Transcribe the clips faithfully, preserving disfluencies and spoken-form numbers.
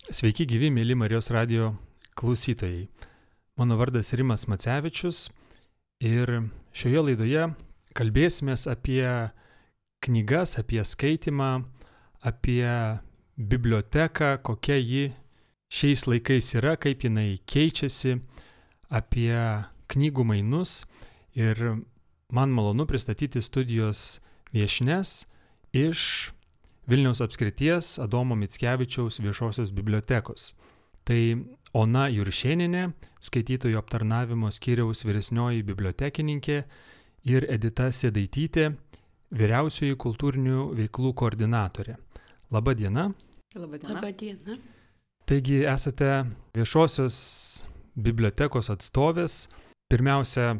Sveiki gyvi, mėly Marijos radijo klausytojai. Mano vardas Rimas Macevičius ir šioje laidoje kalbėsimės apie knygas, apie skaitimą, apie biblioteką, kokia ji šiais laikais yra, kaip jinai keičiasi, apie knygų mainus. Ir man malonu pristatyti studijos viešnias iš Vilniaus apskrities Adomo Mickevičiaus viešosios bibliotekos. Tai Ona Juršėnienė, skaitytojų aptarnavimo skyriaus vyresnioji bibliotekininkė, ir Edita Sėdaitytė, vyriausioji kultūrinių veiklų koordinatorė. Labą dieną. Labą dieną. Labą dieną. Taigi esate viešosios bibliotekos atstovės. Pirmiausia,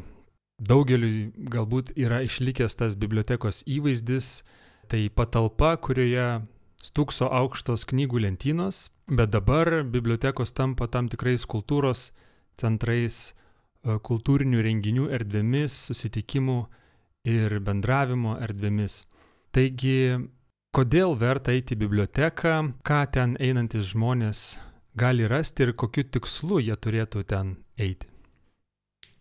daugeliui galbūt yra išlikęs tas bibliotekos įvaizdis. Tai patalpa, kurioje stūkso aukštos knygų lentynos, bet dabar bibliotekos tampa tam tikrais kultūros centrais, kultūrinių renginių erdvėmis, susitikimų ir bendravimo erdvėmis. Taigi, kodėl verta eiti į biblioteką, ką ten einantis žmonės gali rasti ir kokiu tikslu jie turėtų ten eiti?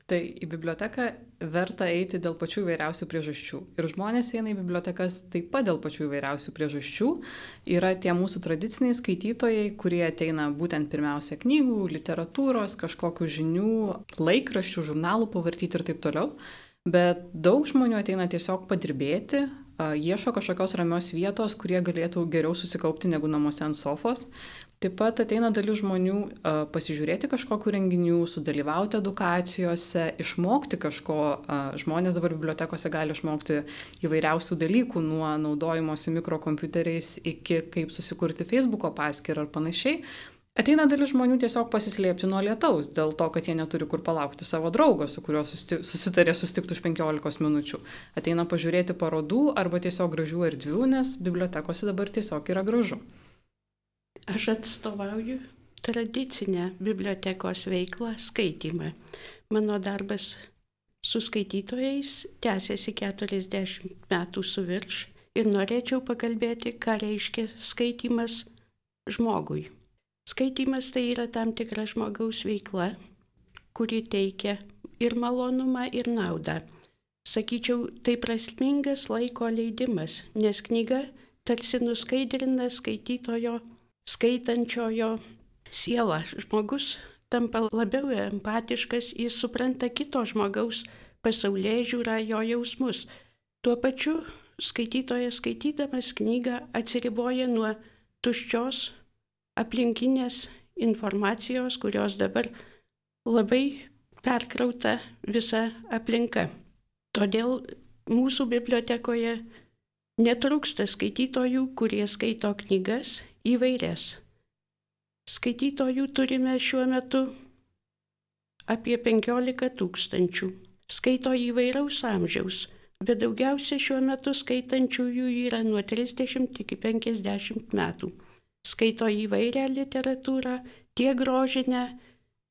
Tai į biblioteką verta eiti dėl pačių įvairiausių priežasčių. Ir žmonės eina į bibliotekas taip pat dėl pačių įvairiausių priežasčių. Yra tie mūsų tradiciniai skaitytojai, kurie ateina būtent pirmiausia knygų, literatūros, kažkokių žinių, laikraščių, žurnalų pavartyti ir taip toliau. Bet daug žmonių ateina tiesiog padirbėti, ieško kažkokios ramios vietos, kurie galėtų geriau susikaupti negu namuose ant sofos. Taip pat ateina dalis žmonių uh, pasižiūrėti kažkokių renginių, sudalyvauti edukacijose, išmokti kažko. Uh, žmonės dabar bibliotekose gali išmokti įvairiausių dalykų, nuo naudojimosi mikrokompiuteriais iki kaip susikurti Facebooko paskyrą ar panašiai. Ateina dalis žmonių tiesiog pasislėpti nuo lietaus, dėl to, kad jie neturi kur palaukti savo draugo, su kuriuo susti- susitarė susitikti už penkiolikos minučių. Ateina pažiūrėti parodų arba tiesiog gražių erdvių, nes bibliotekose dabar tiesiog yra gražu. Aš atstovauju tradicinę bibliotekos veiklą, skaitymą. Mano darbas su skaitytojais tęsiasi keturiasdešimt metų su virš ir norėčiau pakalbėti, ką reiškia skaitymas žmogui. Skaitymas tai yra tam tikra žmogaus veikla, kuri teikia ir malonumą, ir naudą. Sakyčiau, tai prasmingas laiko leidimas, nes knyga tarsi nuskaidrina skaitytojo, skaitančiojo sielą. Žmogus tampa labiau empatiškas, jis supranta kito žmogaus pasaulėžiūrą, jo jausmus. Tuo pačiu skaitytojas skaitydamas knygą atsiriboja nuo tuščios aplinkinės informacijos, kurios dabar labai perkrauta visa aplinka. Todėl mūsų bibliotekoje netrūksta skaitytojų, kurie skaito knygas įvairias. Skaitytojų turime šiuo metu apie penkiolika tūkstančių. Skaito įvairaus amžiaus, bet daugiausia šiuo metu skaitančiųjų yra nuo trisdešimt iki penkiasdešimt metų. Skaito įvairią literatūrą, tiek grožinę,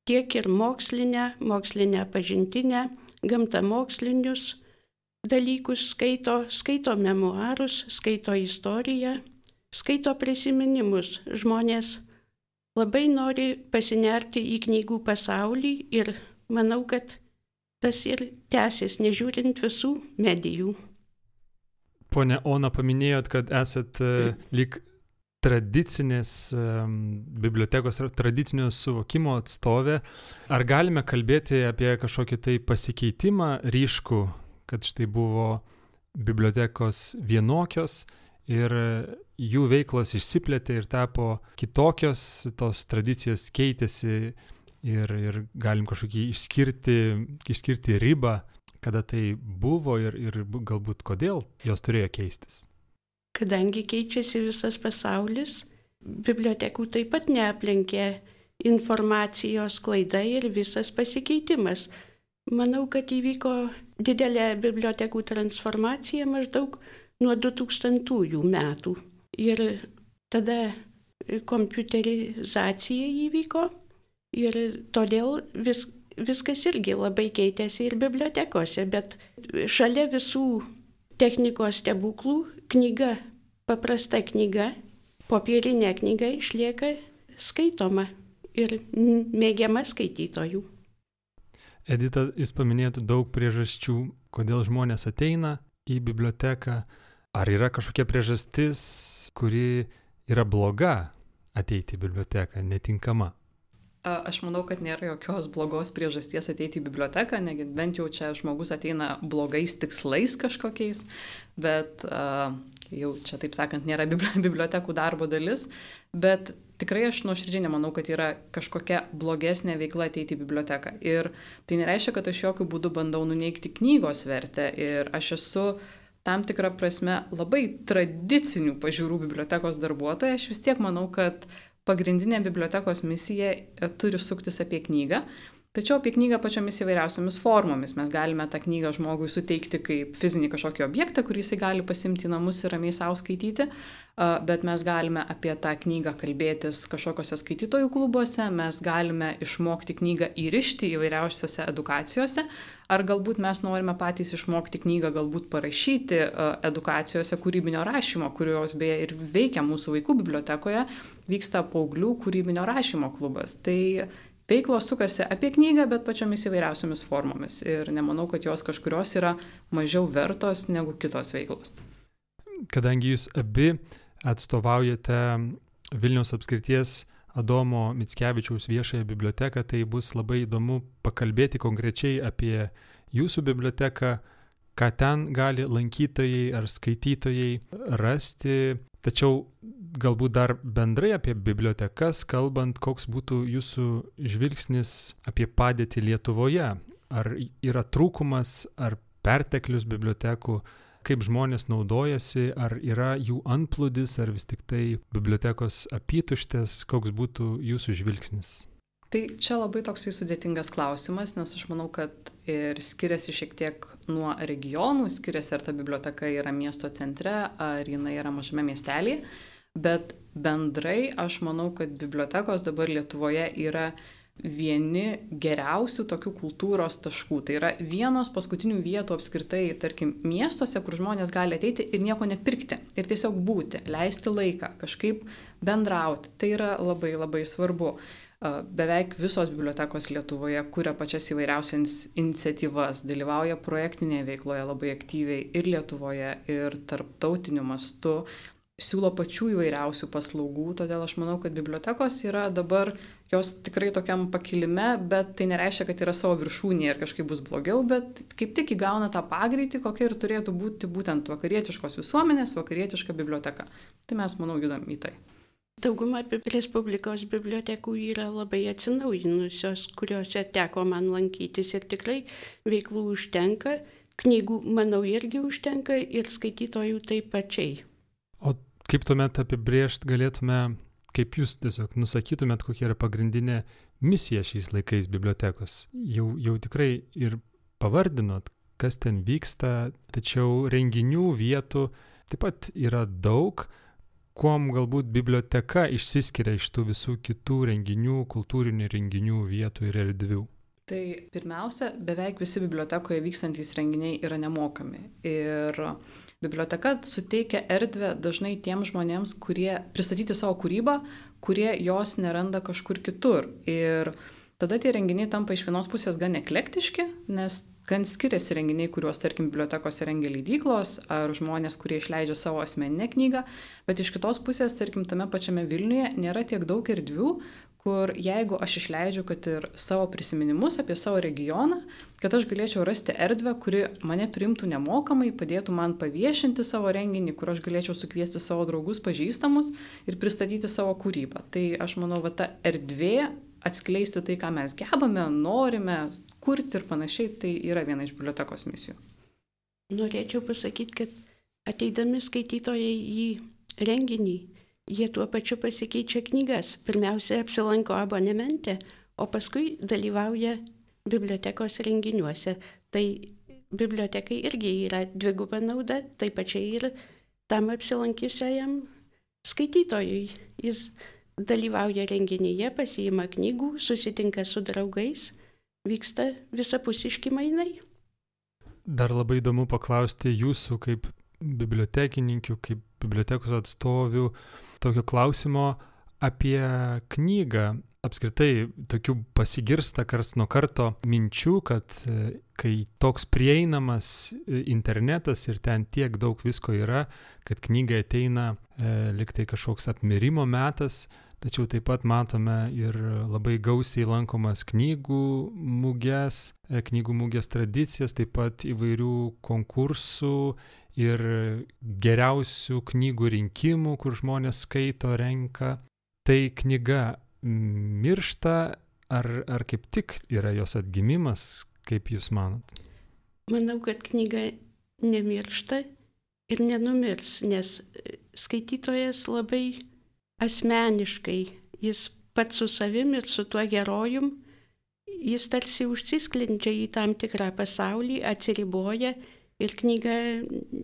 tiek ir mokslinę, mokslinę pažintinę, gamtamokslinius dalykus skaito, skaito memuarus, skaito istoriją, skaito prisiminimus. Žmonės labai nori pasinerti į knygų pasaulį ir manau, kad tas ir tęsis, nežiūrint visų medijų. Pone Ona, paminėjot, kad esat uh, lyg tradicinės um, bibliotekos, tradicinio suvokimo atstovė. Ar galime kalbėti apie kažkokį tai pasikeitimą ryškų, kad štai buvo bibliotekos vienokios ir jų veiklos išsiplėtė ir tapo kitokios, tos tradicijos keitėsi ir, ir galim kažkokį išskirti, išskirti ribą, kada tai buvo ir, ir galbūt kodėl jos turėjo keistis? Kadangi keičiasi visas pasaulis, bibliotekų taip pat neaplenkė informacijos klaida ir visas pasikeitimas. Manau, kad įvyko didelė bibliotekų transformacija maždaug nuo du tūkstantųjų metų. Ir tada kompiuterizacija įvyko ir todėl vis, viskas irgi labai keitėsi ir bibliotekose, bet šalia visų technikos stebuklų knyga, paprasta knyga, popierinė knyga išlieka skaitoma ir mėgiama skaitytojų. Edita, jūs paminėjote daug priežasčių, kodėl žmonės ateina į biblioteką. Ar yra kažkokia priežastis, kuri yra bloga ateiti į biblioteką, netinkama? Aš manau, kad nėra jokios blogos priežasties ateiti į biblioteką, negi bent jau čia žmogus ateina blogais tikslais kažkokiais, bet uh, jau čia, taip sakant, nėra bibliotekų darbo dalis, bet tikrai aš nuoširdžiai nemanau, kad yra kažkokia blogesnė veikla ateiti į biblioteką. Ir tai nereiškia, kad aš jokių būdų bandau nuneigti knygos vertę ir aš esu tam tikrą prasme labai tradicinių pažiūrų bibliotekos darbuotoja. Aš vis tiek manau, kad pagrindinė bibliotekos misija turi suktis apie knygą, tačiau apie knygą pačiomis įvairiausiomis formomis. Mes galime tą knygą žmogui suteikti kaip fizinį kažkokį objektą, kurį jisai gali pasimti į namus ir ramiai savo skaityti, bet mes galime apie tą knygą kalbėtis kažkokiuose skaitytojų klubuose, mes galime išmokti knygą įrišti įvairiausiose edukacijose, ar galbūt mes norime patys išmokti knygą, galbūt parašyti edukacijose kūrybinio rašymo, kurios beje ir veikia mūsų vaikų bibliotekoje, vyksta paauglių kūrybinio rašymo klubas. Tai veiklos sukasi apie knygą, bet pačiomis įvairiausiomis formomis. Ir nemanau, kad jos kažkurios yra mažiau vertos negu kitos veiklos. Kadangi jūs abi atstovaujate Vilniaus apskrities Adomo Mickevičiaus viešąją biblioteką, tai bus labai įdomu pakalbėti konkrečiai apie jūsų biblioteką, ką ten gali lankytojai ar skaitytojai rasti. Tačiau galbūt dar bendrai apie bibliotekas, kalbant, koks būtų jūsų žvilgsnis apie padėtį Lietuvoje. Ar yra trūkumas, ar perteklius bibliotekų, kaip žmonės naudojasi, ar yra jų antplūdis, ar vis tik tai bibliotekos apytuštės, koks būtų jūsų žvilgsnis? Tai čia labai toksai sudėtingas klausimas, nes aš manau, kad ir skiriasi šiek tiek nuo regionų, skiriasi ar ta biblioteka yra miesto centre, ar jinai yra mažame miestelėje, bet bendrai aš manau, kad bibliotekos dabar Lietuvoje yra vieni geriausių tokių kultūros taškų. Tai yra vienos paskutinių vietų apskritai, tarkim, miestuose, kur žmonės gali ateiti ir nieko nepirkti. Ir tiesiog būti, leisti laiką, kažkaip bendrauti. Tai yra labai labai svarbu. Beveik visos bibliotekos Lietuvoje kuria pačias įvairiausias iniciatyvas, dalyvauja projektinėje veikloje labai aktyviai ir Lietuvoje, ir tarptautiniu mastu, siūlo pačių įvairiausių paslaugų, todėl aš manau, kad bibliotekos yra dabar jos tikrai tokiam pakilime, bet tai nereiškia, kad yra savo viršūnėje ir kažkaip bus blogiau, bet kaip tik įgauna tą pagreitį, kokia ir turėtų būti būtent vakarietiškos visuomenės, vakarietiška biblioteka. Tai mes, manau, judam į tai. Dauguma Respublikos bibliotekų yra labai atsinaujinusios, kuriuose teko man lankytis ir tikrai veiklų užtenka, knygų, manau, irgi užtenka ir skaitytojų taip pačiai. O kaip tuomet apibrėžt galėtume, kaip jūs tiesiog nusakytumėt, kokia yra pagrindinė misija šiais laikais bibliotekos? Jau, jau tikrai ir pavardinot, kas ten vyksta, tačiau renginių vietų taip pat yra daug. Kuom galbūt biblioteka išsiskiria iš tų visų kitų renginių, kultūrinių renginių vietų ir erdvių? Tai pirmiausia, beveik visi bibliotekoje vykstantys renginiai yra nemokami. Ir biblioteka suteikia erdvę dažnai tiems žmonėms, kurie pristatyti savo kūrybą, kurie jos neranda kažkur kitur. Ir tada tie renginiai tampa iš vienos pusės gan eklektiški, nes gan skiriasi renginiai, kuriuos, tarkim, bibliotekose rengia leidyklos ar žmonės, kurie išleidžia savo asmeninę knygą, bet iš kitos pusės, tarkim, tame pačiame Vilniuje nėra tiek daug erdvių, kur jeigu aš išleidžiu, kad ir savo prisiminimus apie savo regioną, kad aš galėčiau rasti erdvę, kuri mane priimtų nemokamai, padėtų man paviešinti savo renginį, kur aš galėčiau sukviesti savo draugus, pažįstamus ir pristatyti savo kūrybą. Tai aš manau, va ta erdvė atskleisti tai, ką mes gebame, norime kurti ir panašiai, tai yra viena iš bibliotekos misijų. Norėčiau pasakyti, kad ateidami skaitytojai į renginį, jie tuo pačiu pasikeičia knygas. Pirmiausia, apsilanko abonemente, o paskui dalyvauja bibliotekos renginiuose. Tai bibliotekai irgi yra dviguba nauda, taip pačiai ir tam apsilankiusiajam skaitytojui. Jis dalyvauja renginyje, pasiima knygų, susitinka su draugais, vyksta visapusiški mainai. Dar labai įdomu paklausti jūsų kaip bibliotekininkių, kaip bibliotekos atstovių tokio klausimo, apie knygą. Apskritai, tokių pasigirsta karts nuo karto minčių, kad kai toks prieinamas internetas ir ten tiek daug visko yra, kad knygai ateina e, liktai kažkoks apmirimo metas, tačiau taip pat matome ir labai gausiai lankomas knygų muges, e, knygų muges tradicijas, taip pat įvairių konkursų ir geriausių knygų rinkimų, kur žmonės skaito, renka. Tai knyga miršta, ar, ar kaip tik yra jos atgimimas, kaip jūs manot? Manau, kad knyga nemiršta ir nenumirs, nes skaitytojas labai asmeniškai, jis pats su savim ir su tuo herojum, jis tarsi užsisklendžia į tam tikrą pasaulį, atsiriboja ir knyga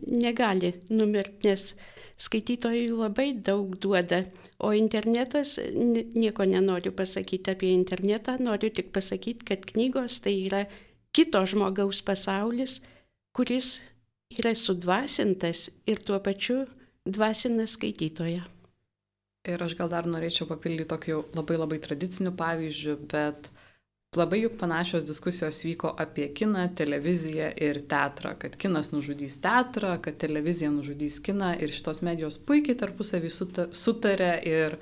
negali numirti, nes skaitytojui labai daug duoda, o internetas, nieko nenoriu pasakyti apie internetą, noriu tik pasakyti, kad knygos tai yra kito žmogaus pasaulis, kuris yra sudvasintas ir tuo pačiu dvasina skaitytoją. Ir aš gal dar norėčiau papildyti tokiu labai labai tradiciniu pavyzdžiu, bet labai juk panašios diskusijos vyko apie kiną, televiziją ir teatrą, kad kinas nužudys teatrą, kad televizija nužudys kiną ir šitos medijos puikiai tarpusavį sutarė ir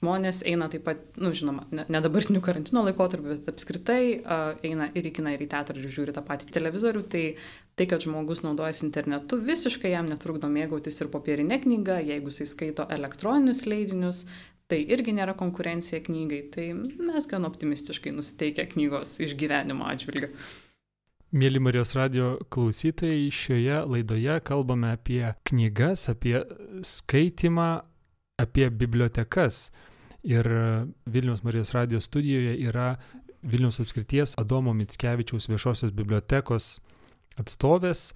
žmonės eina taip pat, nu žinoma, ne, ne dabartiniu karantino laikotarpiu, bet apskritai uh, eina ir į kiną, ir į teatrą ir žiūri tą patį televizorių, tai tai, kad žmogus naudojasi internetu, visiškai jam netrukdo mėgautis ir popierinė knyga, jeigu jis skaito elektroninius leidinius, tai irgi nėra konkurencija knygai, tai mes gan optimistiškai nusiteikę knygos išgyvenimo atžvilgiu. Mėly Marijos radijo klausytojai, šioje laidoje kalbame apie knygas, apie skaitimą, apie bibliotekas. Ir Vilniaus Marijos radijo studijoje yra Vilniaus apskrities Adomo Mickevičiaus viešosios bibliotekos atstovės,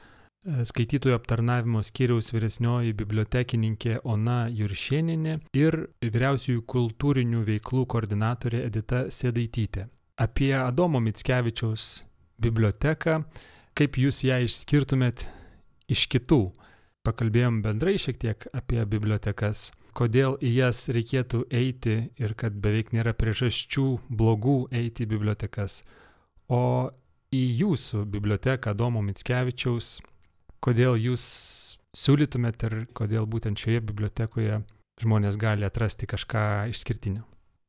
skaitytojų aptarnavimo skyriaus vyresnioji bibliotekininkė Ona Juršėnienė ir vyriausiųjų kultūrinių veiklų koordinatorė Edita Sėdaitytė. Apie Adomo Mickevičiaus biblioteką, kaip jūs ją išskirtumėt iš kitų. Pakalbėjom bendrai šiek tiek apie bibliotekas, kodėl į jas reikėtų eiti ir kad beveik nėra priežasčių blogų eiti į bibliotekas. O į jūsų biblioteką Adomo Mickevičiaus, kodėl jūs siūlytumėt ir kodėl būtent šioje bibliotekoje žmonės gali atrasti kažką išskirtinio?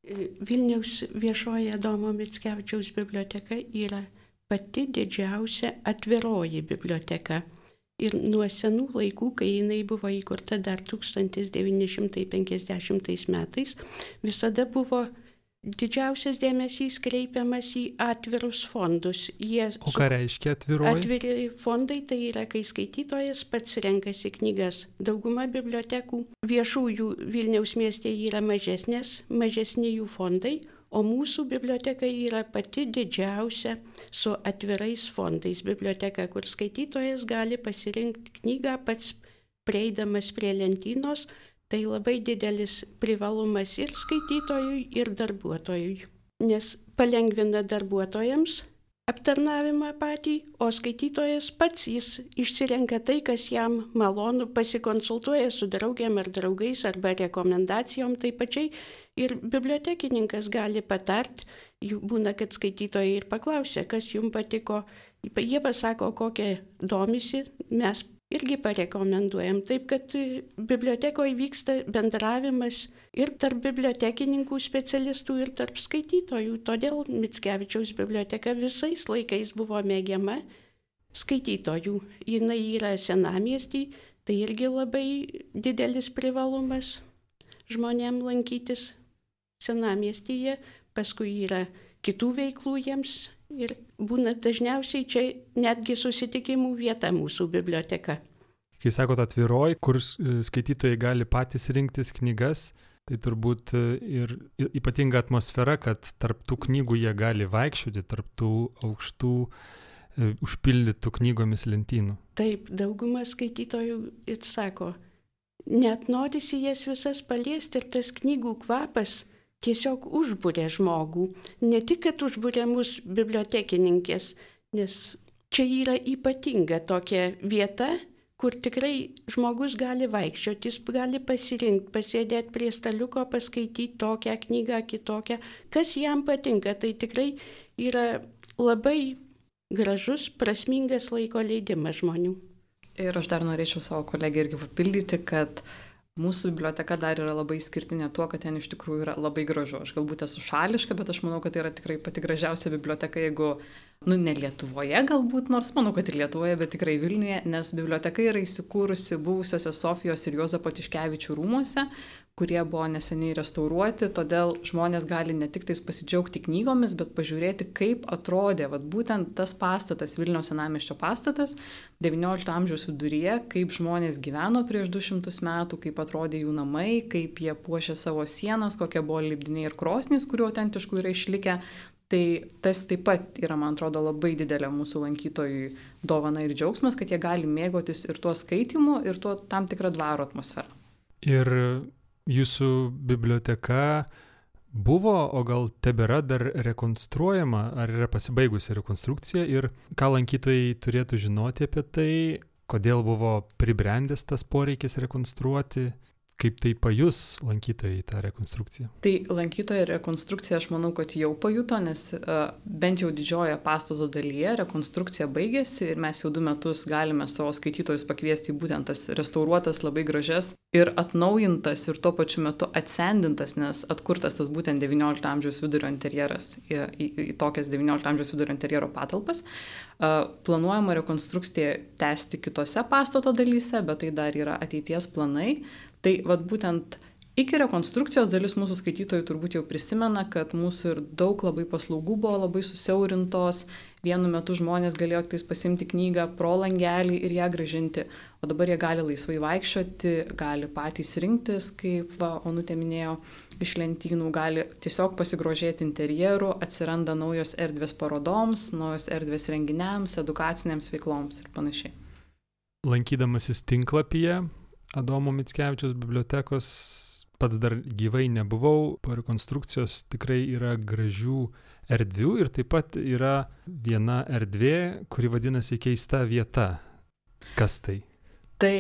Vilniaus viešoji Adomo Mickevičiaus biblioteka yra pati didžiausia atviroji biblioteka. Ir nuo senų laikų, kai jinai buvo įkurta dar tūkstantis devyni šimtai penkiasdešimtais metais, visada buvo didžiausias dėmesys kreipiamas į atvirus fondus. Jie o ką reiškia atviroji? Atviri fondai tai yra, kai skaitytojas pats renkasi knygas. Dauguma bibliotekų viešųjų Vilniaus mieste yra mažesnės, mažesni jų fondai, o mūsų biblioteka yra pati didžiausia su atvirais fondais biblioteka, kur skaitytojas gali pasirinkti knygą pats prieidamas prie lentynos. Tai labai didelis privalumas ir skaitytojui, ir darbuotojui, nes palengvina darbuotojams aptarnavimą patį, o skaitytojas pats jis išsirenka tai, kas jam malonu, pasikonsultuoja su draugėm ar draugais arba rekomendacijom, taip pačiai ir bibliotekininkas gali patart, būna, kad skaitytojai ir paklausia, kas jums patiko, jie pasako, kokie domisi, mes irgi parekomenduojam. Taip, kad bibliotekoje vyksta bendravimas ir tarp bibliotekininkų specialistų, ir tarp skaitytojų. Todėl Mickevičiaus biblioteka visais laikais buvo mėgiama skaitytojų. Jinai yra senamiestį, tai irgi labai didelis privalumas žmonėm lankytis senamiestyje. Paskui yra kitų veiklų jiems. Ir būna dažniausiai čia netgi susitikimų vieta mūsų biblioteka. Kai sakot atviroj, kur skaitytojai gali patys rinktis knygas, tai turbūt ir ypatinga atmosfera, kad tarp tų knygų jie gali vaikščioti, tarp tų aukštų užpildytų knygomis lentynų. Taip, dauguma skaitytojų ir sako, net norisi jas visas paliesti ir tas knygų kvapas tiesiog užbūrė žmogų. Ne tik, kad užbūrė mus bibliotekininkės, nes čia yra ypatinga tokia vieta, kur tikrai žmogus gali vaikščioti, jis gali pasirinkti, pasėdėti prie staliuko, paskaityti tokią knygą, kitokią, kas jam patinka. Tai tikrai yra labai gražus, prasmingas laiko leidimas žmonių. Ir aš dar norėčiau savo kolegę irgi papildyti, kad mūsų biblioteka dar yra labai išskirtinė tuo, kad ten iš tikrųjų yra labai gražu. Aš galbūt esu šališka, bet aš manau, kad tai yra tikrai pati gražiausia biblioteka, jeigu, nu, ne Lietuvoje galbūt, nors manau, kad ir Lietuvoje, bet tikrai Vilniuje, nes biblioteka yra įsikūrusi buvusiuose Sofijos ir Juozapo Tiškevičių rūmuose, kurie buvo neseniai restauruoti, todėl žmonės gali ne tik tais pasidžiaugti knygomis, bet pažiūrėti, kaip atrodė vat, būtent tas pastatas, Vilniaus senamiesčio pastatas, devyniolikto amžiaus viduryje, kaip žmonės gyveno prieš du šimtus metų, kaip atrodė jų namai, kaip jie puošė savo sienas, kokie buvo lipdiniai ir krosnys, kurių autentiškų yra išlikę. Tai tas taip pat yra, man atrodo, labai didelė mūsų lankytojų dovana ir džiaugsmas, kad jie gali mėgautis ir tuo skaitimu, ir tuo tam tikrą dvaro atmosferą. Ir jūsų biblioteka buvo, o gal tebėra dar rekonstruojama, ar yra pasibaigusi rekonstrukcija ir ką lankytojai turėtų žinoti apie tai, kodėl buvo pribrendęs tas poreikis rekonstruoti, kaip tai pajus lankytojai tą rekonstrukciją? Tai lankytojai rekonstrukciją aš manau, kad jau pajuto, nes uh, bent jau didžiojoje pastato dalyje rekonstrukcija baigėsi ir mes jau du metus galime savo skaitytojus pakviesti į būtent tas restauruotas, labai gražias ir atnaujintas ir tuo pačiu metu atsendintas, nes atkurtas tas būtent devyniolikto amžiaus vidurio interjeras į, į, į tokias devyniolikto amžiaus vidurio interjero patalpas. Uh, planuojama rekonstrukciją tęsti kitose pastato dalyse, bet tai dar yra ateities planai. Tai vat būtent iki rekonstrukcijos dalis mūsų skaitytojų turbūt jau prisimena, kad mūsų ir daug labai paslaugų buvo labai susiaurintos. Vienu metu žmonės galėjo tais pasimti knygą pro langelį ir ją grąžinti, o dabar jie gali laisvai vaikščioti, gali patys rinktis, kaip va, Onutė minėjo, iš lentynų, gali tiesiog pasigrožėti interjeru, atsiranda naujos erdvės parodoms, naujos erdvės renginiams, edukacinėms veikloms ir panašiai. Lankydamasis tinklapyje Adomo Mickevičiaus bibliotekos, pats dar gyvai nebuvau, po rekonstrukcijos tikrai yra gražių erdvių ir taip pat yra viena erdvė, kuri vadinasi Keista vieta. Kas tai? Tai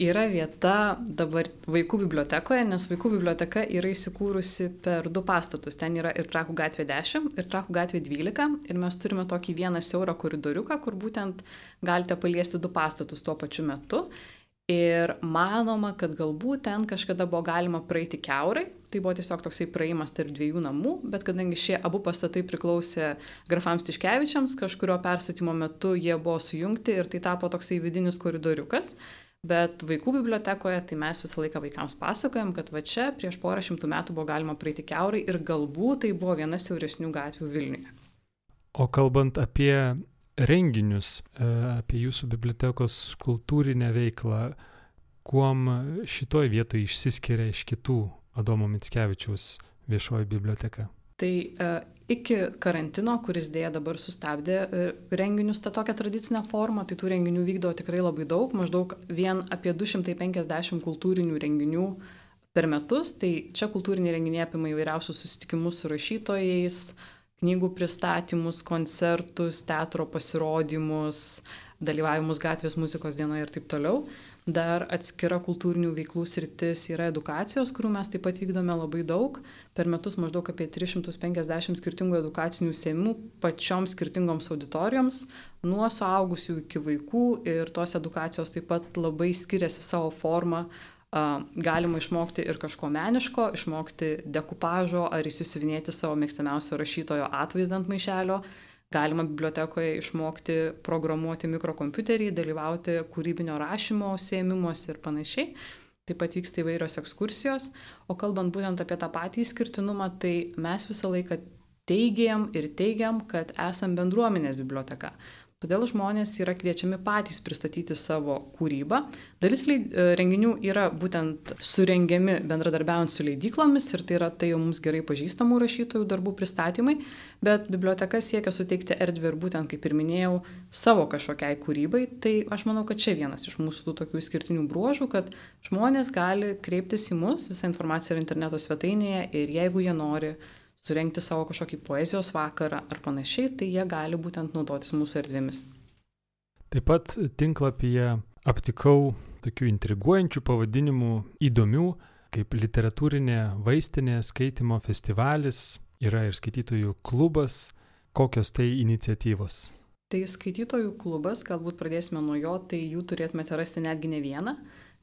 yra vieta dabar vaikų bibliotekoje, nes vaikų biblioteka yra įsikūrusi per du pastatus. Ten yra ir Trakų gatvė dešimt, ir Trakų gatvė dvylika. Ir mes turime tokį vieną siaurą koridoriuką, kur būtent galite paliesti du pastatus tuo pačiu metu. Ir manoma, kad galbūt ten kažkada buvo galima praeiti kiaurai, tai buvo tiesiog toksai praėjimas tarp dviejų namų, bet kadangi šie abu pastatai priklausė grafams Tiškevičiams, kažkurio perstatymo metu jie buvo sujungti ir tai tapo toksai vidinis koridoriukas. Bet vaikų bibliotekoje tai mes visą laiką vaikams pasakojam, kad va čia prieš porą šimtų metų buvo galima praeiti kiaurai ir galbūt tai buvo viena siauresnių gatvių Vilniuje. O kalbant apie renginius, apie jūsų bibliotekos kultūrinę veiklą, kuom šitoj vietoje išsiskiria iš kitų Adomo Mickevičiaus viešoji biblioteka? Tai e, iki karantino, kuris dėja dabar sustabdė e, renginius tą tokią tradicinę formą, tai tų renginių vykdo tikrai labai daug, maždaug vien apie du šimtai penkiasdešimt kultūrinių renginių per metus, tai čia kultūriniai renginiai apima įvairiausius susitikimus su rašytojais, knygų pristatymus, koncertus, teatro pasirodymus, dalyvavimus gatvės muzikos dienoje ir taip toliau. Dar atskira kultūrinių veiklų sritis yra edukacijos, kurių mes taip pat vykdome labai daug. Per metus maždaug apie tris šimtus penkiasdešimt skirtingų edukacinių užsiėmimų pačioms skirtingoms auditorijoms, nuo suaugusių iki vaikų. Ir tos edukacijos taip pat labai skiriasi savo formą. Galima išmokti ir kažko meniško, išmokti dekupažo ar įsisiuvinėti savo mėgstamiausio rašytojo atvaizdą ant maišelio. Galima bibliotekoje išmokti programuoti mikrokompiuterį, dalyvauti kūrybinio rašymo užsiėmimuose ir panašiai. Taip pat vyksta įvairios ekskursijos. O kalbant būtent apie tą patį išskirtinumą, tai mes visą laiką teigiam ir teigiam, kad esam bendruomenės biblioteka. Todėl žmonės yra kviečiami patys pristatyti savo kūrybą. Dalis renginių yra būtent surengiami bendradarbiaujant su leidyklomis ir tai yra tai jau mums gerai pažįstamų rašytojų darbų pristatymai, bet biblioteka siekia suteikti erdvę ir būtent, kaip ir minėjau, savo kažkokiai kūrybai. Tai aš manau, kad čia vienas iš mūsų tų tokių išskirtinių bruožų, kad žmonės gali kreiptis į mus, visa informacija yra interneto svetainėje ir jeigu jie nori surengti savo kažkokį poezijos vakarą ar panašiai, tai jie gali būtent naudotis mūsų erdvėmis. Taip pat tinklapyje aptikau tokių intriguojančių pavadinimų, įdomių, kaip literatūrinė vaistinė, skaitimo festivalis, yra ir skaitytojų klubas. Kokios tai iniciatyvos? Tai skaitytojų klubas, galbūt pradėsime nuo jo, tai jų turėtumėte rasti netgi ne vieną,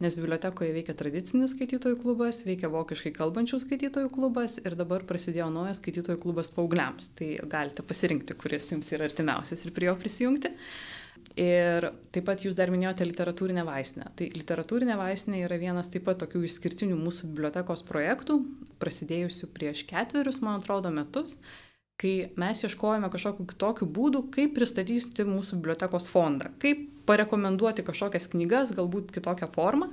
nes bibliotekoje veikia tradicinis skaitytojų klubas, veikia vokiškai kalbančių skaitytojų klubas ir dabar prasidėjo naujas skaitytojų klubas paaugliams. Tai galite pasirinkti, kuris jums yra artimiausias ir prie jo prisijungti. Ir taip pat jūs dar minėjote literatūrinę vaistinę. Tai literatūrinė vaistinė yra vienas taip pat tokių išskirtinių mūsų bibliotekos projektų, prasidėjusių prieš ketverius, man atrodo, metus, kai mes ieškojame kažkokių kitokių būdų, kaip pristatyti mūsų bibliotekos fondą, kaip parekomenduoti kažkokias knygas, galbūt kitokią formą.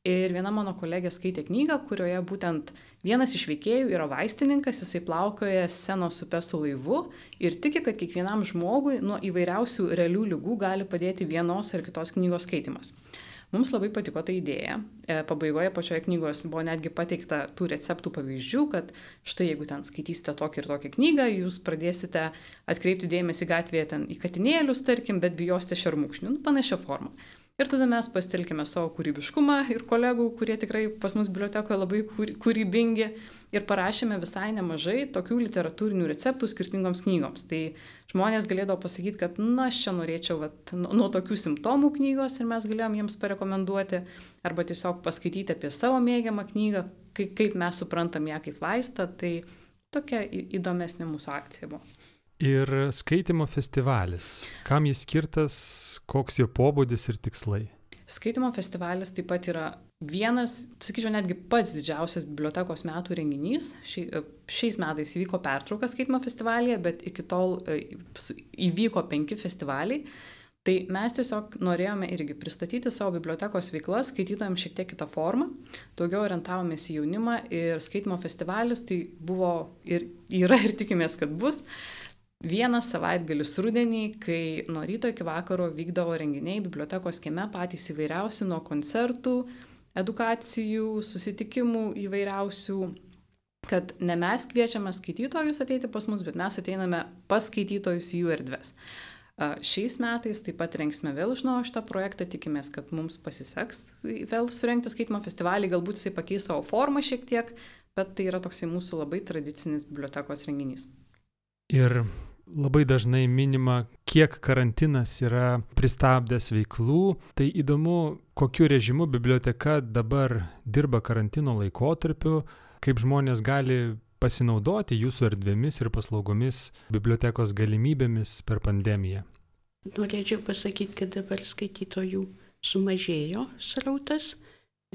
Ir viena mano kolegė skaitė knygą, kurioje būtent vienas iš veikėjų yra vaistininkas, jisai plaukioja Senos upe su laivu ir tiki, kad kiekvienam žmogui nuo įvairiausių realių ligų gali padėti vienos ar kitos knygos skaitimas. Mums labai patiko ta idėja. Pabaigoje pačioje knygos buvo netgi pateikta tų receptų pavyzdžių, kad štai jeigu ten skaitysite tokią ir tokią knygą, jūs pradėsite atkreipti dėmesį gatvėje ten į katinėlius, tarkim, bet bijosite šermukšnių, nu, panašia forma. Ir tada mes pasitelkėme savo kūrybiškumą ir kolegų, kurie tikrai pas mus bibliotekoje labai kūrybingi, ir parašėme visai nemažai tokių literatūrinių receptų skirtingoms knygoms. Tai žmonės galėdavo pasakyti, kad na, aš čia norėčiau vat, nuo tokių simptomų knygos ir mes galėjom jiems parekomenduoti, arba tiesiog paskaityti apie savo mėgiamą knygą, kaip, kaip mes suprantam ją kaip vaistą. Tai tokia įdomesnė mūsų akcija buvo. Ir skaitimo festivalis. Kam jis skirtas, koks jo pobūdis ir tikslai? Skaitimo festivalis taip pat yra vienas, sakyčiau, netgi pats didžiausias bibliotekos metų renginys. Šiais metais įvyko pertrauka skaitimo festivalyje, bet iki tol įvyko penki festivaliai. Tai mes tiesiog norėjome irgi pristatyti savo bibliotekos veiklas skaitytojams šiek tiek kitą formą. Daugiau orientavomės į jaunimą ir skaitimo festivalis tai buvo ir yra ir tikimės, kad bus vienas savaitgalis rudenį, kai nuo ryto iki vakaro vykdavo renginiai bibliotekos kieme, patys įvairiausi, nuo koncertų, edukacijų, susitikimų įvairiausių, kad ne mes kviečiame skaitytojus ateiti pas mus, bet mes ateiname pas skaitytojus į jų erdves. Šiais metais taip pat rengsime vėl iš naujo šitą projektą, tikimės, kad mums pasiseks vėl surengti skaitimo festivalį, galbūt jisai pakeis savo formą šiek tiek, bet tai yra toksai mūsų labai tradicinis bibliotekos renginys. Ir labai dažnai minima, kiek karantinas yra pristabdęs veiklų. Tai įdomu, kokiu režimu biblioteka dabar dirba karantino laikotarpiu, kaip žmonės gali pasinaudoti jūsų erdvėmis ir paslaugomis, bibliotekos galimybėmis per pandemiją. Norėčiau pasakyti, kad dabar skaitytojų sumažėjo srautas,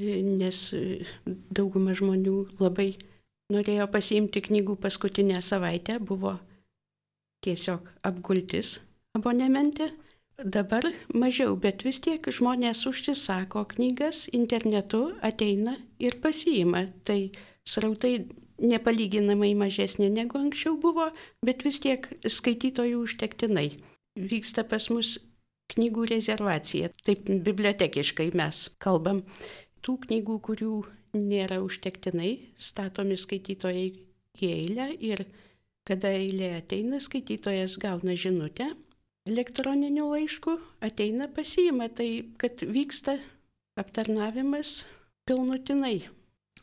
nes dauguma žmonių labai norėjo pasiimti knygų paskutinę savaitę, buvo tiesiog apgultis abonemente. Dabar mažiau, bet vis tiek žmonės užsisako knygas internetu, ateina ir pasiima. Tai srautai nepalyginamai mažesnė negu anksčiau buvo, bet vis tiek skaitytojų užtektinai. Vyksta pas mus knygų rezervacija, taip bibliotekiškai mes kalbam. Tų knygų, kurių nėra užtektinai, statomi skaitytojai į eilę ir kada eilė ateina, skaitytojas gauna žinutę elektroniniu laišku, ateina pasiima, tai kad vyksta aptarnavimas pilnutinai.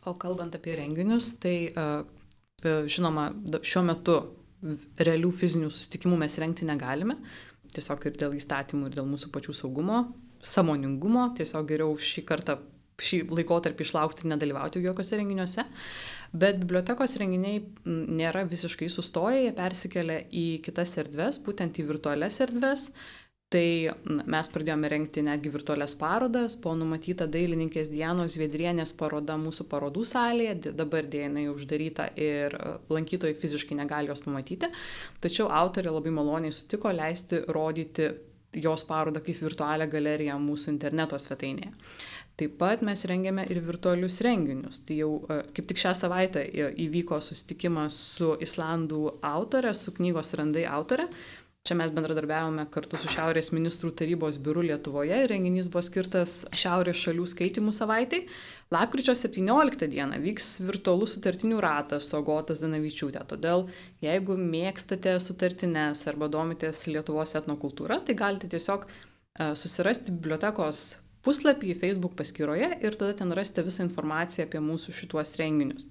O kalbant apie renginius, tai žinoma, šiuo metu realių fizinių susitikimų mes rengti negalime, tiesiog ir dėl įstatymų, ir dėl mūsų pačių saugumo, sąmoningumo, tiesiog geriau šį kartą, šį laikotarpį išlaukti ir nedalyvauti jokiuose renginiuose. Bet bibliotekos renginiai nėra visiškai sustoję, jie persikelia į kitas erdves, būtent į virtualias erdves. Tai mes pradėjome rengti netgi virtualias parodas, buvo numatyta dailininkės Dianos Zviedrienės paroda mūsų parodų salėje, dabar dėja jinai uždaryta ir lankytojai fiziškai negali jos pamatyti, tačiau autorė labai maloniai sutiko leisti rodyti jos parodą kaip virtualią galeriją mūsų interneto svetainėje. Taip pat mes rengiame ir virtualius renginius. Tai jau kaip tik šią savaitę įvyko susitikimas su islandų autorė, su knygos Randai autorė. Čia mes bendradarbiavome kartu su Šiaurės ministrų tarybos biuru Lietuvoje ir renginys buvo skirtas Šiaurės šalių skaitymų savaitai. Lapkričio septynioliktą dieną vyks virtualus sutartinių ratas su Agota Zdanavičiūtė. Todėl, jeigu mėgstate sutartines arba domitės Lietuvos etnokultūra, tai galite tiesiog susirasti bibliotekos puslapį Facebook paskyroje ir tada ten rasite visą informaciją apie mūsų šituos renginius.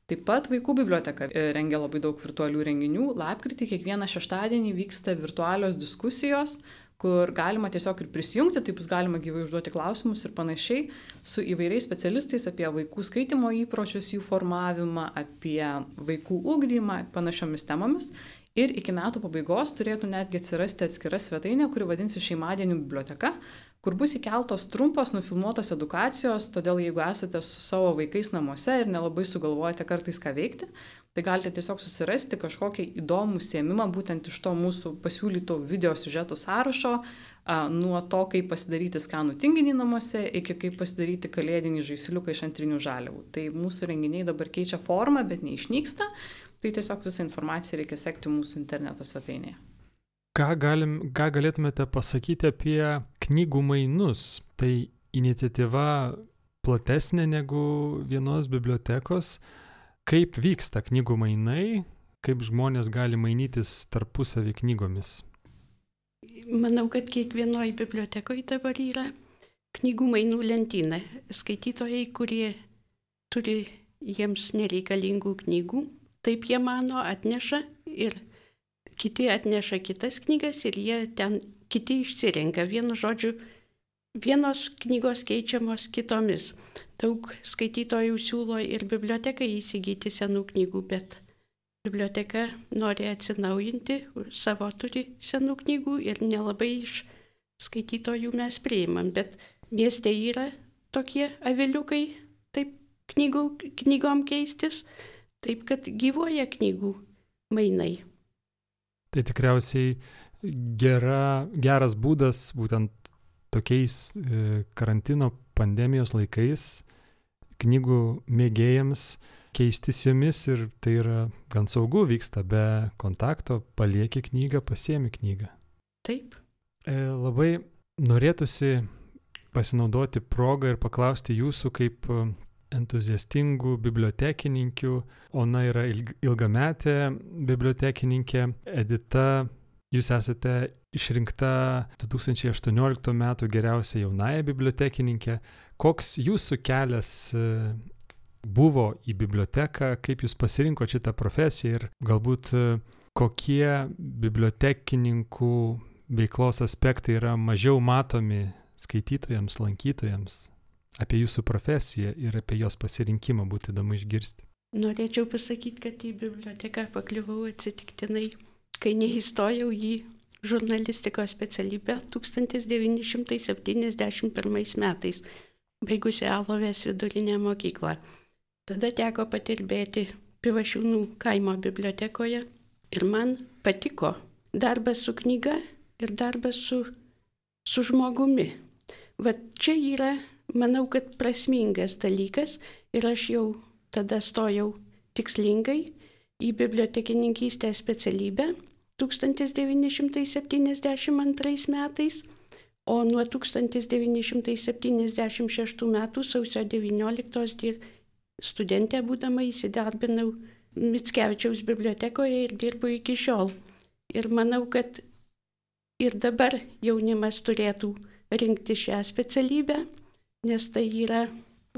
Taip pat Vaikų biblioteka rengia labai daug virtualių renginių. Lapkritį kiekvieną šeštadienį vyksta virtualios diskusijos, kur galima tiesiog ir prisijungti, taip bus galima gyvai užduoti klausimus ir panašiai, su įvairiais specialistais apie vaikų skaitimo įpročius, jų formavimą, apie vaikų ugdymą, panašiomis temomis. Ir iki metų pabaigos turėtų netgi atsirasti atskira svetainė, kuri vadinsi Šeimadienių biblioteka, kur bus įkeltos trumpos nufilmuotos edukacijos, todėl jeigu esate su savo vaikais namuose ir nelabai sugalvojate kartais ką veikti, tai galite tiesiog susirasti kažkokį įdomų užsiėmimą būtent iš to mūsų pasiūlyto video siužetų sąrašo, nuo to, kaip pasidaryti skanų tinginį namuose, iki kaip pasidaryti kalėdinį žaisliuką iš antrinių žaliavų. Tai mūsų renginiai dabar keičia formą, bet neišnyksta, tai tiesiog visą informaciją reikia sekti mūsų interneto svetainėje. Ką, galim, ką galėtumėte pasakyti apie knygų mainus? Tai iniciatyva platesnė negu vienos bibliotekos. Kaip vyksta knygų mainai, kaip žmonės gali mainytis tarpusavį knygomis? Manau, kad kiekvienoje bibliotekoje dabar yra knygų mainų lentyna. Skaitytojai, kurie turi jiems nereikalingų knygų, taip jie mano, atneša ir kiti atneša kitas knygas ir jie ten kiti išsirenka. Vienu žodžiu, vienos knygos keičiamos kitomis. Daug skaitytojų siūlo ir bibliotekai įsigyti senų knygų, bet biblioteka nori atsinaujinti, savo turi senų knygų ir nelabai iš skaitytojų mes priimam. Bet mieste yra tokie aviliukai, taip knygų, knygom keistis, taip kad gyvuoja knygų mainai. Tai tikriausiai gera, geras būdas būtent tokiais e, karantino pandemijos laikais knygų mėgėjams keistis jomis ir tai yra gan saugu, vyksta be kontakto, palieki knygą, pasiemi knygą. Taip. E, labai norėtųsi pasinaudoti progą ir paklausti jūsų kaip entuziastingų bibliotekininkių. Ona yra ilgametė bibliotekininkė. Edita, jūs esate išrinkta du tūkstančiai aštuonioliktų metų geriausia jaunąja bibliotekininkė. Koks jūsų kelias buvo į biblioteką, kaip jūs pasirinko šitą profesiją ir galbūt kokie bibliotekininkų veiklos aspektai yra mažiau matomi skaitytojams, lankytojams? Apie jūsų profesiją ir apie jos pasirinkimą būtų įdomu išgirsti. Norėčiau pasakyti, kad į biblioteką pakliuvau atsitiktinai, kai neįstojau į žurnalistikos specialybę tūkstantis devyni šimtai septyniasdešimt pirmais metais, baigusi Alovės vidurinę mokyklą. Tada teko patirbėti Pivašiūnų kaimo bibliotekoje ir man patiko darbas su knyga ir darbas su, su žmogumi. Vat čia yra, manau, kad prasmingas dalykas ir aš jau tada stojau tikslingai į bibliotekininkystės specialybę tūkstantis devyni šimtai septyniasdešimt antrais metais, o nuo tūkstantis devyni šimtai septyniasdešimt šeštų metų sausio devynioliktos studentė būdama įsidarbinau Mickevičiaus bibliotekoje ir dirbu iki šiol. Ir manau, kad ir dabar jaunimas turėtų rinkti šią specialybę, nes tai yra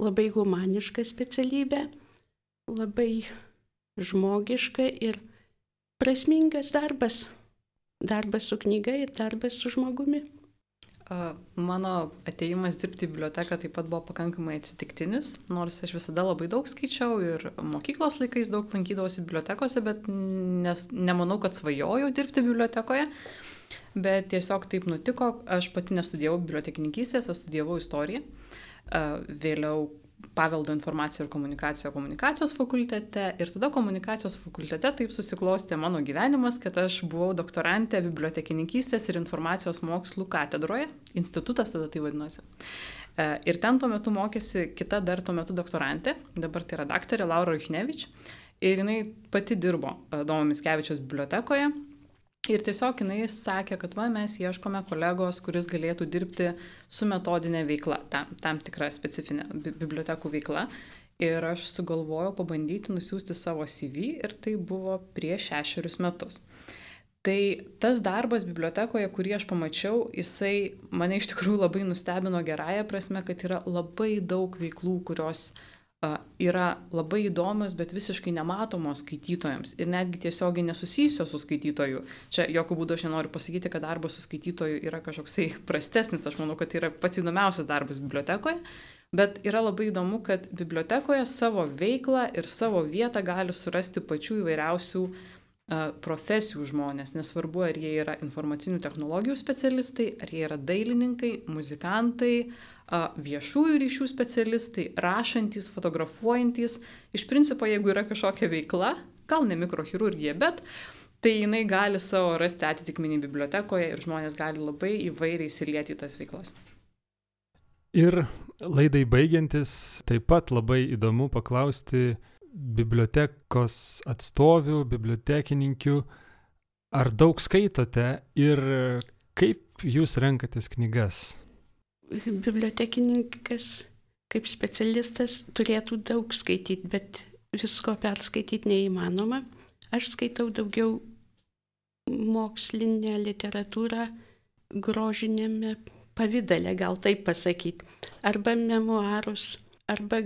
labai humaniška specialybė, labai žmogiška ir prasmingas darbas. Darbas su knyga ir darbas su žmogumi. Mano atėjimas dirbti į biblioteką taip pat buvo pakankamai atsitiktinis, nors aš visada labai daug skaičiau ir mokyklos laikais daug lankydavausi bibliotekose, bet nes, nemanau, kad svajojau dirbti bibliotekoje. Bet tiesiog taip nutiko, aš pati nestudijavau bibliotekininkystės, aš studijavau istoriją, vėliau paveldo informaciją ir komunikaciją komunikacijos fakultete ir tada komunikacijos fakultete taip susiklostė mano gyvenimas, kad aš buvau doktorantė bibliotekininkystės ir informacijos mokslų katedroje, institutas tada tai vadinosi. Ir ten tuo metu mokėsi kita dar tuo metu doktorantė, dabar tai yra daktarė Laura Juchnevič, ir jinai pati dirbo Domo Mickevičiaus bibliotekoje. Ir tiesiog jinai sakė, kad va, mes ieškome kolegos, kuris galėtų dirbti su metodinė veikla, tam, tam tikra specifinė bibliotekų veikla. Ir aš sugalvojau pabandyti nusiųsti savo C V ir tai buvo prieš šešerius metus. Tai tas darbas bibliotekoje, kurį aš pamačiau, jisai mane iš tikrųjų labai nustebino gerąją prasme, kad yra labai daug veiklų, kurios uh, yra labai įdomios, bet visiškai nematomos skaitytojams ir netgi tiesiogiai nesusijusios su skaitytoju. Čia jokių būdų aš nenoriu pasakyti, kad darbas su skaitytoju yra kažkoksai prastesnis, aš manau, kad tai yra pats įdomiausias darbas bibliotekoje, bet yra labai įdomu, kad bibliotekoje savo veiklą ir savo vietą gali surasti pačių įvairiausių profesijų žmonės, nesvarbu, ar jie yra informacinių technologijų specialistai, ar jie yra dailininkai, muzikantai, viešųjų ryšių specialistai, rašantys, fotografuojantys. Iš principo, jeigu yra kažkokia veikla, gal ne mikrochirurgija, bet tai jinai gali savo rasti atitikmenį bibliotekoje ir žmonės gali labai įvairiai įsilieti į tas veiklas. Ir laidai baigiantis, taip pat labai įdomu paklausti bibliotekos atstovių, bibliotekininkių, ar daug skaitote ir kaip jūs renkatės knygas? Bibliotekininkas kaip specialistas turėtų daug skaityti, bet visko perskaityti neįmanoma. Aš skaitau daugiau mokslinę literatūrą grožinėme pavidale, gal taip pasakyti, arba memuarus, arba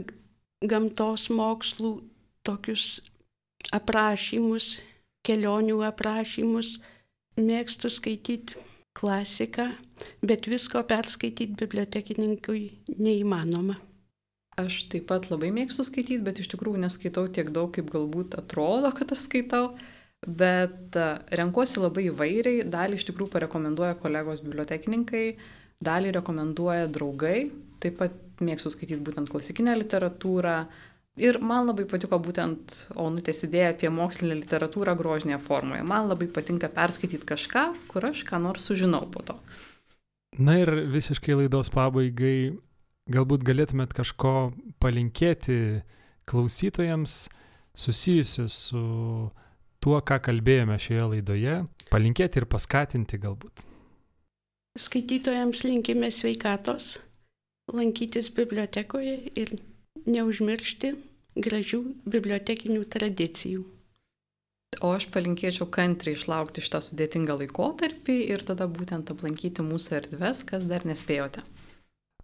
gamtos mokslų tokius aprašymus, kelionių aprašymus. Mėgstu skaityti klasiką, bet visko perskaityti bibliotekininkui neįmanoma. Aš taip pat labai mėgstu skaityti, bet iš tikrųjų neskaitau tiek daug, kaip galbūt atrodo, kad aš skaitau. Bet renkuosi labai įvairiai, dalį iš tikrųjų parekomenduoja kolegos bibliotekininkai, dalį rekomenduoja draugai, taip pat mėgstu skaityti būtent klasikinę literatūrą. Ir man labai patiko būtent Onutės idėja apie mokslinę literatūrą grožinėje formoje. Man labai patinka perskaityti kažką, kur aš ką nors sužinau po to. Na ir visiškai laidos pabaigai, galbūt galėtumėt kažko palinkėti klausytojams susijusius su tuo, ką kalbėjome šioje laidoje, palinkėti ir paskatinti galbūt. Skaitytojams linkime sveikatos, lankytis bibliotekoje ir neužmiršti gražių bibliotekinių tradicijų. O aš palinkėčiau kantriai išlaukti šitą sudėtingą laikotarpį ir tada būtent aplankyti mūsų erdves, kas dar nespėjote.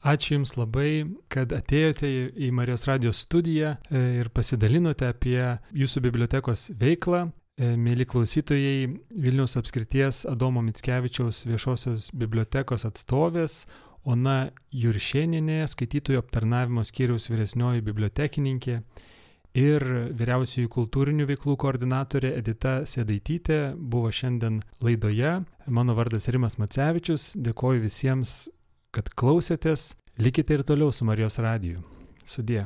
Ačiū Jums labai, kad atėjote į Marijos radijos studiją ir pasidalinote apie Jūsų bibliotekos veiklą. Mėly klausytojai, Vilniaus apskrities Adomo Mickevičiaus viešosios bibliotekos atstovės Ona Juršėnienė, skaitytojų aptarnavimo skyriaus vyresnioji bibliotekininkė ir vyriausioji kultūrinių veiklų koordinatorė Edita Sėdaitytė buvo šiandien laidoje. Mano vardas Rimas Macevičius, dėkoju visiems, kad klausėtės. Likite ir toliau su Marijos radiju. Sudie.